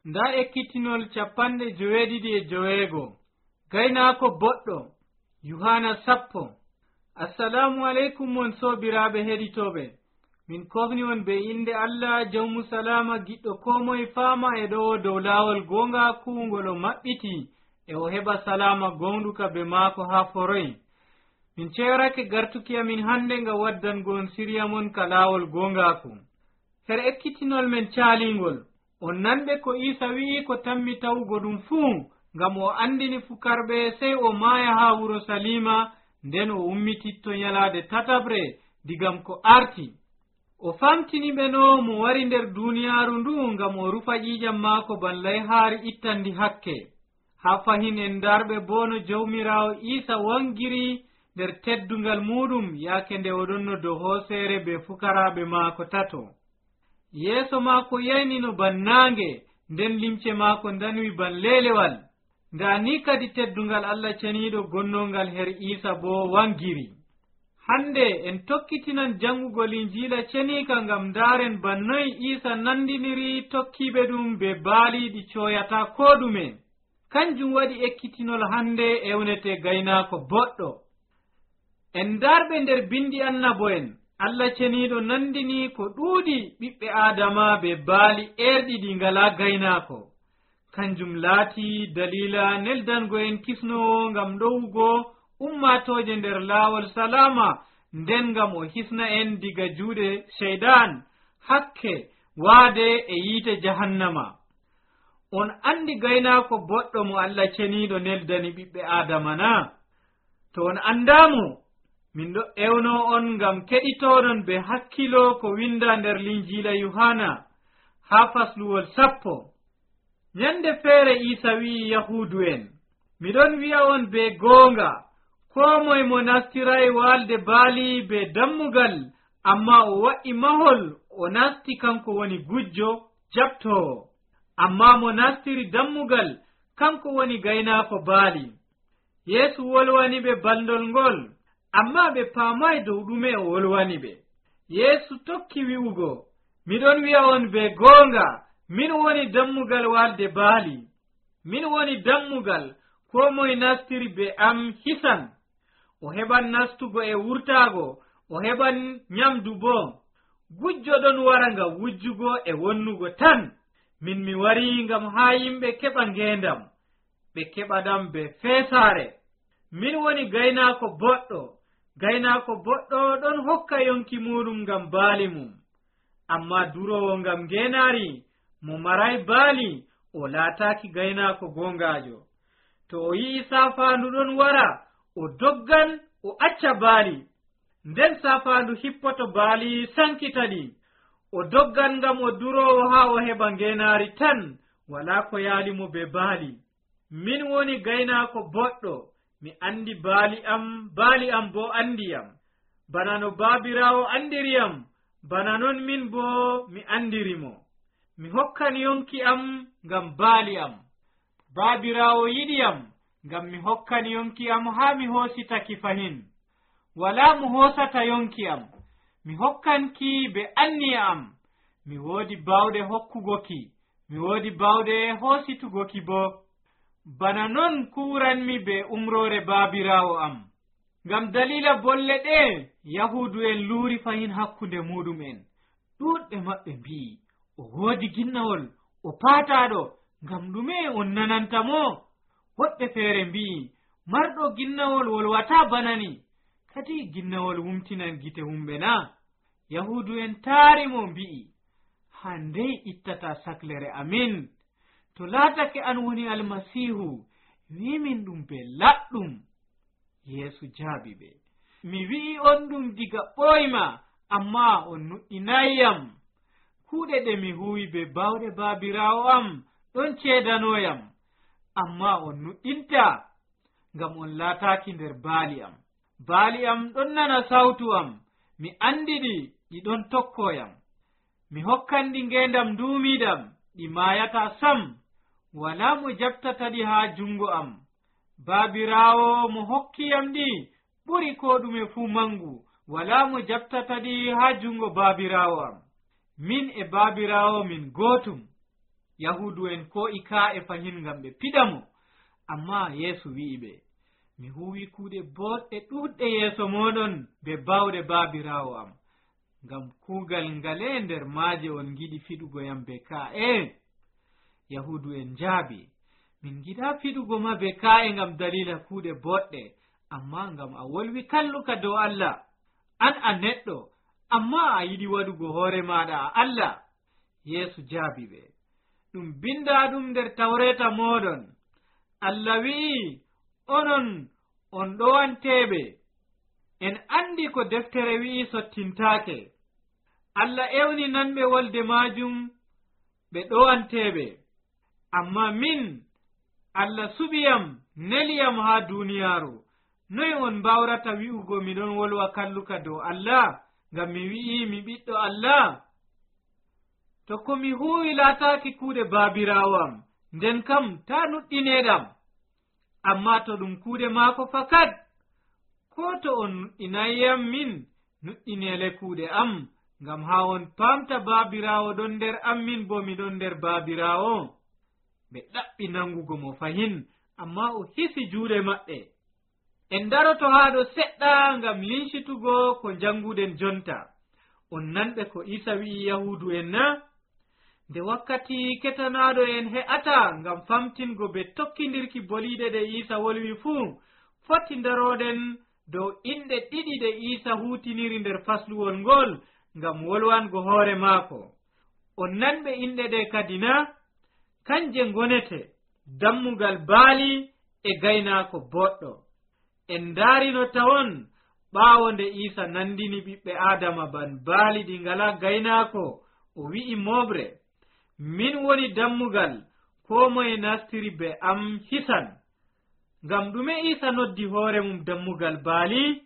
nda ekkitinol 95 gaynaako boɗɗo Yohana 10. Assalamu aleykum mon sobiraɓe heɗitoɓe, min kofni on be inde Allah jawmu salama giɗɗo komoye fama e ɗo dow lawol gonga kuwngol o maɓɓiti e o heɓa salama gonduka be maako ha foroy. min ceerake gartuki amin hande nga waddangon siriya mon ka lawol gongaku. her ekkitinol men caalingol on nanɓe ko Isa wi'i ko tammi tawugo ɗum fuu ngam o andini fukarɓe sey o maaya ha wuro Salima, nden o ummititto nyalade tatabre digam ko arti. o famtini ɓe no mo wari nder duniyaaru ndu ngam o rufa ƴiƴam maako ballay haari ittandi hakke. ha fahin en darɓe bo no jawmirawo Isa wangiri nder teddungal muɗum yaake nde oɗon no dow hooseere be fukaraɓe maako tato. yeeso maako yaynino ban naange, nden limce maako danwi ban lelewal. nda ni kadi teddungal Allah ceniiɗo gonnongal her Isa bo wangiri. hande en tokkitinan jangugo Linjiila ceniika ngam ndaren bannoy Isa nandiniri tokkiɓe ɗum be baaliɗi coyata ko ɗume. kanjum waɗi ekkitinol hande ewnete gaynaako boɗɗo. en darɓe nder bindi annabo'en Allah ceniiɗo nandini ko ɗuuɗi ɓiɓɓe Adama be baali erɗi ɗi ngala gaynaako. kanjum laati dalila neldango en kisnowo ngam ɗowugo ummatoje nder laawol salama, nden ngam o hisna en diga juuɗe sheydan, hakke, waade e yiite jahannama. on andi gaynaako boɗɗo mo Allah ceniiɗo neldani ɓiɓɓe Adama na? to on andamo, min ɗo ewno on ngam keɗitoɗon be hakkilo ko winda nder Linjiila Yohana ha fasluwol 10. nyande feere Isa wi'i Yahudu en, miɗon wi'a on be goonga, ko moye mo nastiray walde baali be dammugal, amma o wa'i mahol o nasti kanko woni gujjo jabtowo. amma mo nastiri dammugal kanko woni gaynaako baali. Yeesu wolwani ɓe baldol ngol, amma ɓe paamay dow ɗume o wolwani ɓe. Yeesu tokki wi'ugo, miɗon wi'a on be goonga, min woni dammugal walde baali. min woni dammugal, ko moye nastiri be am hisan. o heɓan nastugo e wurtaago, o heɓan nyamdu bo. gujjo ɗon wara ngam wujjugo e wonnugo tan. min mi wari ngam haa yimɓe keɓa ngendam, ɓe keɓaɗam be feesaare. min woni gaynaako boɗɗo. gaynaako boɗɗo ɗon hokka yonki muɗum ngam baali mum. amma durowo ngam ngenaari, mo maray baali, o laataaki gaynaako gongajo. to o yi'i saafaandu ɗon wara, o doggan o acca baali. nden saafaandu hippoto baali sankitaɗi. o doggan ngam o durowo haa o heɓa ngenaari tan, wala ko yaalimo be baali. min woni gaynaako boɗɗo. mi andi baali am bo andiyam. bana no baabirawo andiriyam, bana non min bo mi andirimo. mi hokkan yonki am ngam baali am. baabirawo yiɗiyam ngam mi hokkan yonki am haa mi hoositaki fahin. wala mo hoosata yonki am. mi hokkanki be anniya am. mi woodi bawɗe hokkugoki, mi woodi bawɗe hoositugoki bo. bana non kuranmi be umrore baabirawo am. ngam dalila bolle ɗe Yahudu en luuri fahin hakkunde muɗum'en. ɗuɗɓe maɓɓe mbi'i, o woodi ginnawol, o paataɗo, ngam ɗume on nanantamo? woɓɓe feere mbi'i, marɗo ginnawol wolwata banani, kadi ginnawol wumtinan gite humɓe na? Yahudu en taari mo mbi'i, handey ittata saklere amin. to laatake an woni almasihu, wimin ɗum be laɗɗum. Yeesu jaabi ɓe, mi wi'i on ɗum diga ɓoyma, amma on nuɗɗinayyam. kuuɗe ɗe mi huwi be bawɗe baabirawo am ɗon ceedanoyam, amma on nuɗɗinta, ngam on laataaki nder baali am. baali am ɗon nana sawtu am, mi andiɗi, ɗi ɗon tokkoyam. mi hokkanɗi ngendam nduumiɗam, ɗi maayata sam. wala mo jaɓtata ɗi haa jungo am. baabirawo mo hokkiyam ɗi ɓuri ko ɗume fuu mangu. wala mo jaɓtata ɗi haa jungo baabirawo am. min e baabirawo min gootum. yahudu en ko ika'e fahin ngam ɓe piɗamo. Amma Yeesu wi'i ɓe, mi huwi kuuɗe boɗɗe ɗuɗɗe yeeso moɗon be bawɗe baabirawo am, ngam kuugal ngale nder maaje on giɗi fiɗugo yam be ka'e. Yahudu en jaabi, min giɗa fiɗugo ma be ka'e ngam dalila kuuɗe boɗɗe, amma ngam a wolwi kalluka dow Allah. An a neɗɗo, amma a yiɗi waɗugo hoore maɗa a Allah. Yeesu jaabi ɓe, ɗum binda ɗum nder tawreta moɗon. Allah wi'i, onon on ɗowanteɓe. En andi ko deftere wi'i sottintaake. Allah ewni nanɓe wolde majum ɓe ɗowanteɓe. Amma min, Allah suɓiyam neliyam ha duniyaaru. Noy on mbawrata wi'ugo miɗon wolwa kalluka dow Allah, ngam mi wi'i mi ɓiɗɗo Allah? To ko mi huwi laataaki kuuɗe baabiraawam, nden kam ta nuɗɗineɗam. Amma to ɗum kuuɗe maako fakat, ko to on nuɗɗinayam min, nuɗɗinele kuuɗe am, ngam ha on pamta baabiraawo ɗon nder am, min bo miɗon nder baabiraawo. Ɓe ɗaɓɓi nangugo mo fahin, amma o hisi juuɗe maɓɓe. En daroto haa ɗo seɗɗa ngam lincitugo ko janguɗen jonta. On nanɓe ko Isa wi'i yahudu en na? Nde wakkati ketanaɗo en he'ata ngam famtingo be tokkidirki boliɗe ɗe Isa wolwi fuu, foti daroɗen dow inɗe ɗiɗi ɗe Isa hutiniri nder fasluwol ngol ngam wolwango hoore maako. On nanɓe inɗe ɗe kadi na? Kanje ngonete dammugal baali e gaynaako boɗɗo. En daarino tawon ɓaawo nde Isa nandini ɓiɓɓe Adama ban baali ɗi ngala gaynaako, o wi'i moɓre, min woni dammugal, ko moye nastiri be am hisan. Ngam ɗume Isa noddi hoore mum dammugal baali?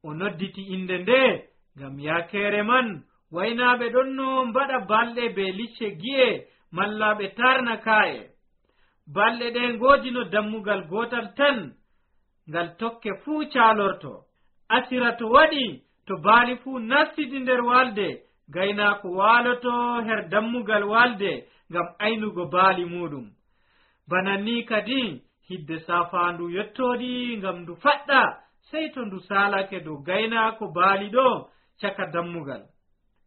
O nodditi inde nde ngam yaakere man waynaaɓe ɗon no mbaɗa balɗe be licce gi'e malla ɓe tarna ka'e. Balɗe ɗe ngoodino dammugal gotal tan, ngal tokke fuu caalorto. Asira to waɗi to baali fuu nastidi nder walde, gaynaako waaloto her dammugal walde ngam aynugo baali muɗum. Bana ni kadi hidde safaandu yettoɗi ngam ndu faɗɗa, sey to ndu saalake dow gaynaako baali ɗo caka dammugal.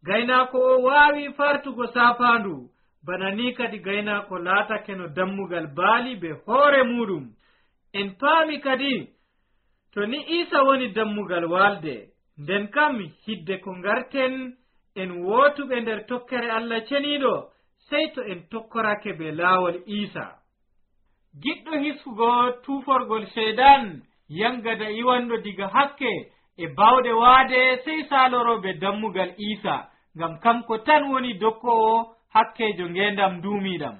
Gaynaako o waawi fartugo safaandu, bana ni kadi gaynaako laatake no dammugal baali be hoore muɗum. En paami kadi to ni Isa woni dammugal walde, nden kam hidde ko ngarten en wootuɓe nder tokkere Allah ceniiɗo, sey to en tokkorake be laawol Isa. Giɗɗo hiskugo tuuforgol sheydan yangada iwanɗo diga hakke e bawɗe waade, sey saaloroɓe dammugal Isa, ngam kanko tan woni dokkowo hakkejo ngendam duumiɗam.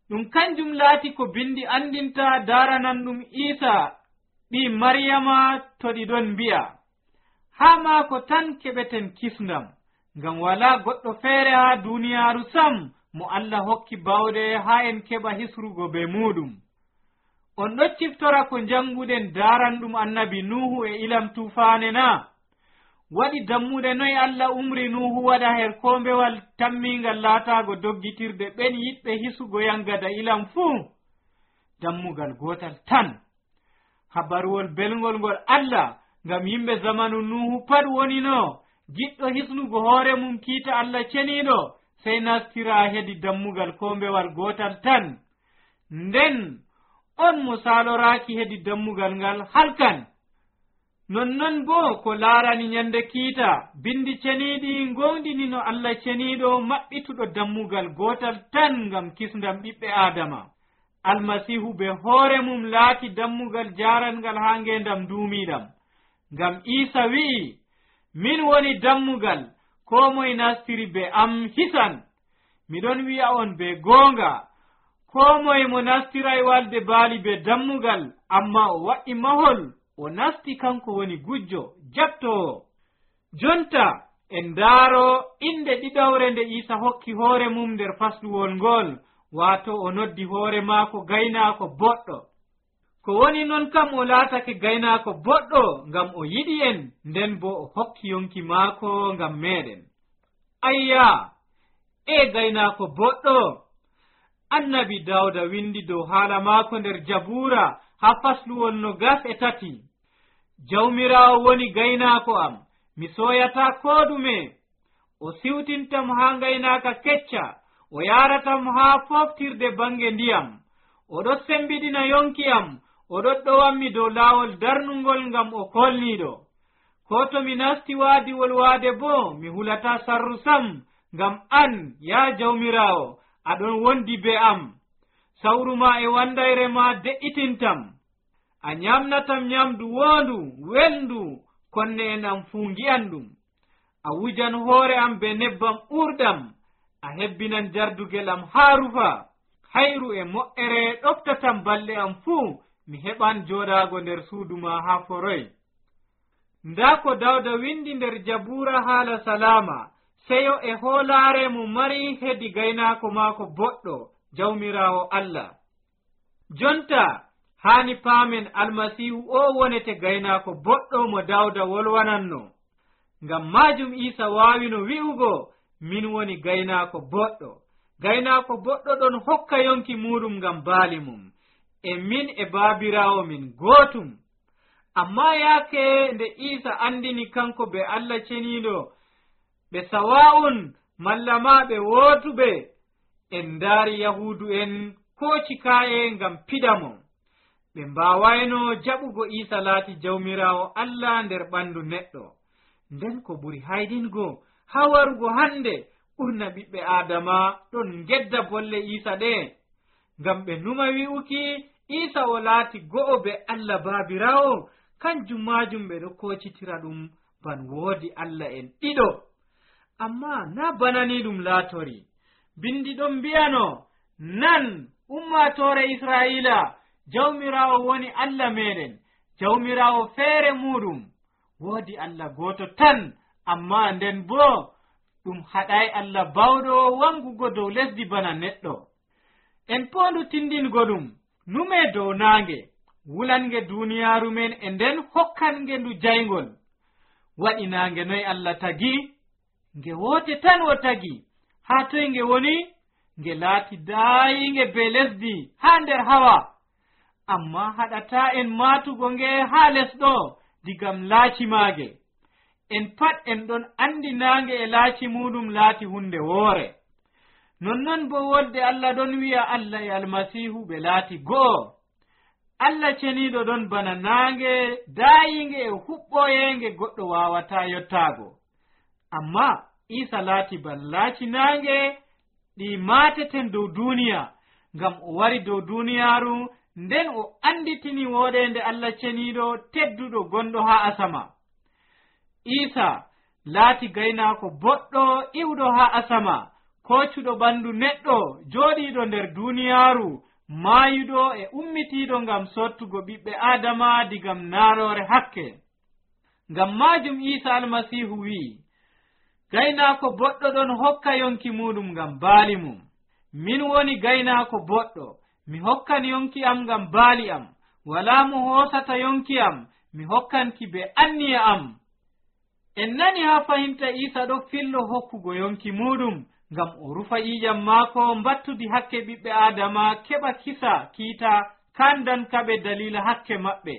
Ɗum kanjum laati ko bindi andinta daranan ɗum Isa ɓi Maryama to ɗi ɗon mbi'a, haa maako tan keɓeten kisndam, ngam wala goɗɗo feere haa duniyaaru sam mo Allah hokki bawɗe haa en keɓa hisrugo be muɗum. On ɗo ciftora ko janguɗen daranɗum annabi Nuhu e ilam tufaane na? Waɗi dammuɗe noy Allah umri Nuhu waɗa her kombewal tammingal laatago doggitirde ɓen yiɗɓe hisugo yangada ilam fuu? Dammugal gotal tan. Habaruwol belgol ngol Allah ngam yimɓe zamanu Nuhu pat wonino giɗɗo hisnugo hoore mum kiita Allah ceniiɗo, sey nastira hedi dammugal kombewal gotal tan. Nden on mo saloraaki hedi dammugal ngal halkan. Nonnon bo ko laarani nyande kiita, bindi ceniiɗi ngondini no Allah ceniiɗo maɓɓituɗo dammugal gotal tan ngam kisndam ɓiɓɓe Adama. Almasihu be hoore mum laati dammugal jarangal haa ngendam duumiɗam. Ngam Isa wi'i, min woni dammugal, ko moye nastiri be am hisan. Miɗon wi'a on be goonga, ko moye mo nastiray walde baali be dammugal, amma o waɗi mahol, o nasti kanko woni gujjo jabtowo. Jonta en daaro inde ɗiɗawre nde Isa hokki hoore mum nder fasluwol ngol, waato o noddi hoore maako gaynaako boɗɗo. Ko woni non kam o laatake gaynaako boɗɗo ngam o yiɗi en, nden bo o hokki yonki maako ngam meɗen. Ayya, e gaynaako boɗɗo, annabi Dawda windi dow haala maako nder Jabura ha fasluwol 23. Jawmirawo woni gaynaako am, mi soyata ko ɗume. O siwtintam ha gaynaka kecca, o yaratam ha foftirde bange ndiyam. Oɗo sembiɗina yonki am, oɗo ɗowanmi dow laawol darnugol ngam o kolniɗo. Ko to mi nasti waadiwol waade bo mi hulata sarru sam, ngam an ya Jawmirawo aɗon wondi be am. Sawru ma e wandayre ma de'itintam. A nyamnatam nyamdu wondu welndu, konne en am fuu ngi'an ɗum. A wujan hoore am be nebbam ɓurɗam, a hebbinan jardugel am haa rufa. Hayru e mo'ere ɗoftatam balɗe am fuu, mi heɓan jooɗaago nder suudu ma haa foroy. Nda ko Dawda windi nder Jabura haala salama, seyo e hoolaare mo mari hedi gaynaako maako boɗɗo, Jawmirawo Allah. Jonta haani paamen Almasihu o wonete gaynaako boɗɗo mo Dawda wolwananno. Ngam majum Isa waawino wi'ugo, min woni gaynaako boɗɗo. Gaynaako boɗɗo ɗon hokka yonki muɗum ngam baali mum, e min e baabirawo min gootum. Amma yaake nde Isa andini kanko be Allah ceniiɗo, ɓe sawa'un malla ma ɓe wootuɓe, en ndaari Yahudu en kooci ka'e ngam pidamo. Ɓe mbawayno jaɓugo Isa laati Jawmirawo Allah nder ɓandu neɗɗo. Nden ko ɓuri haydingo ha warugo hande, ɓurna ɓiɓɓe Adama ɗon gedda bolle Isa ɗe, ngam ɓe numa wi'uki Isa o laati go'o be Allah baabirawo. Kanjum majum ɓe ɗo kocitira ɗum ban woodi Allah en ɗiɗo. Amma na banani ɗum laatori. Bindi ɗon mbiyano, nan ummatore Israila, Jawmirawo woni Allah meɗen, Jawmirawo feere muɗum. Woodi Allah goto tan, amma nden bo ɗum haɗay Allah bawɗo wangugo dow lesdi bana neɗɗo. En pondu tindingo ɗum, nume dow naange, wulange duniyaru men e nden hokkange ndu jaygol. Waɗi naange noy Allah tagi? Nge wote tan o tagi. Ha toy nge woni? Nge laati daayinge be lesdi ha nder hawa. Amma haɗata en matugo nge ha lesɗo digam laaci maage. En pat en ɗon andi naange e laaci muɗum laati hunde woore. Nonnon bo wolde Allah ɗon wi'a Allah e Almasihu ɓe laati go'o. Allah ceniiɗo ɗon bana naange daayinge e huɓɓoyenge goɗɗo wawata yottago. Amma Isa laati ban laaci naange ɗi mateten dow duniya, ngam o wari dow duniyaru nden o anditini woɗende Allah ceniiɗo tedduɗo gonɗo ha asama. Isa laati gaynaako boɗɗo iwɗo ha asama, kocuɗo ɓandu neɗɗo joɗiɗo nder duniyaru, maayuɗo e ummitiɗo ngam sottugo ɓiɓɓe Adama digam naarore hakke. Ngam majum Isa Almasihu wi'i, gaynaako boɗɗo ɗon hokka yonki muɗum ngam baali mum. Min woni gaynaako boɗɗo, mi hokkan yonki am ngam baali am. Wala mo hoosata yonki am, mi hokkanki be anniya am. En nani ha fahinta Isa ɗo fillo hokkugo yonki muɗum ngam o rufa ƴiƴam maako mbattudi hakke ɓiɓɓe Adama keɓa kisa kiita kandankaɓe dalila hakke maɓɓe.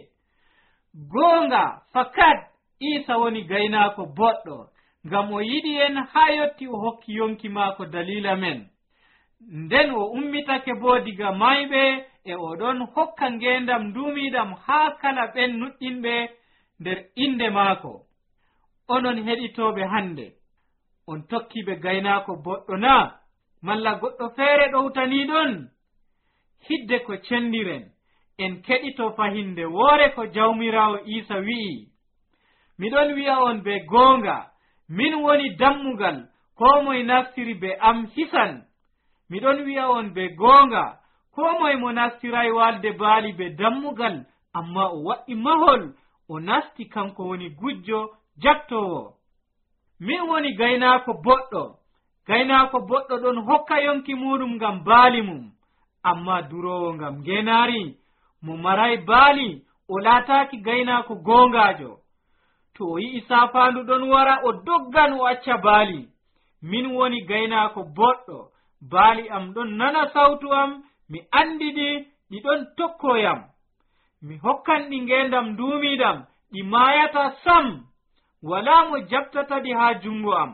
Goonga fakat Isa woni gaynaako boɗɗo, ngam o yiɗi en ha yotti o hokki yonki maako dalila men. Nden o ummitake bo diga mayɓe e oɗon hokka ngendam ndumiɗam ha kala ɓen nuɗɗinɓe nder inde maako. Onon heɗitoɓe hande, on tokkiɓe gaynaako boɗɗo na, malla goɗɗo feere ɗowtaniɗon? Hidde ko cendiren, en keɗito fahinde woore ko Jawmirawo Isa wi'i. Miɗon wi'a on be goonga, min woni dammugal, ko moye naftiri be am hisan. Miɗon wi'a on be goonga, ko moye mo nastiray walde baali be dammugal, amma o waɗi mahol, o nasti kanko woni gujjo jattowo. Min woni gaynaako boɗɗo. Gaynaako boɗɗo ɗon hokka yonki muɗum ngam baali mum, amma durowo ngam ngenaari. Mo maray baali o laataaki gaynaako goongaajo. To o yi'i saafaandu ɗon wara o doggan o acca baali. Min woni gaynaako boɗɗo, baali am ɗon nana sawtu am, mi andidi ɗi ɗon tokkoyam. Mi hokkan ɗi ngendam duumiɗam, ɗi maayata sam, wala mo jaɓtata ɗi haa jungo am.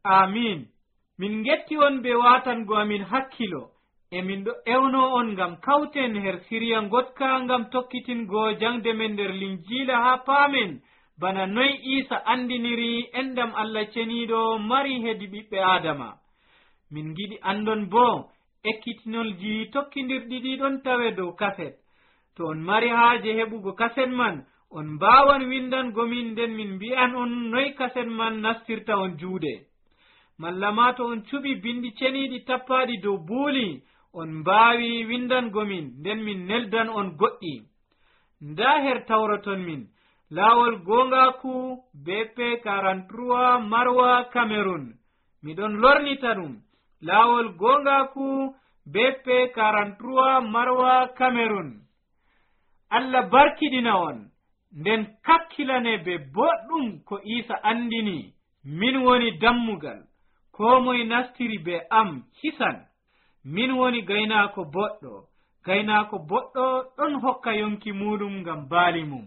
Amin. Min getti on be watango amin hakkilo, e min ɗo ewno on ngam kawten her siriya gotka ngam tokkitingo jangde men nder linjiila haa paamen bana noy Isa andiniri endam Allah ceniiɗo mari hedi ɓiɓɓe Adama. Min giɗi andon bo ekkitinolji tokkindirɗi ɗi ɗon tawe dow kaset. To on mari haaje heɓugo kaset man, on mbawan windango min nden min mbi'an on noy kaset man nastirta on juuɗe. Malla ma to on cuɓi bindi ceniiɗi tappaɗi dow buuli, on mbaawi windango min nden min neldan on goɗɗi. Nda her tawraton min laawol gongaku BP 43 Marwa Cameroon. Miɗon lornita ɗum laawol gongaku BP 43 Marwa Cameroon. Allah barkiɗina on nden kakkilane be boɗɗum ko Isa andini. Min woni dammugal, ko moye nastiri be am hisan. Min woni gaynaako boɗɗo. Gaynaako boɗɗo ɗon hokka yonki muɗum ngam baali mum.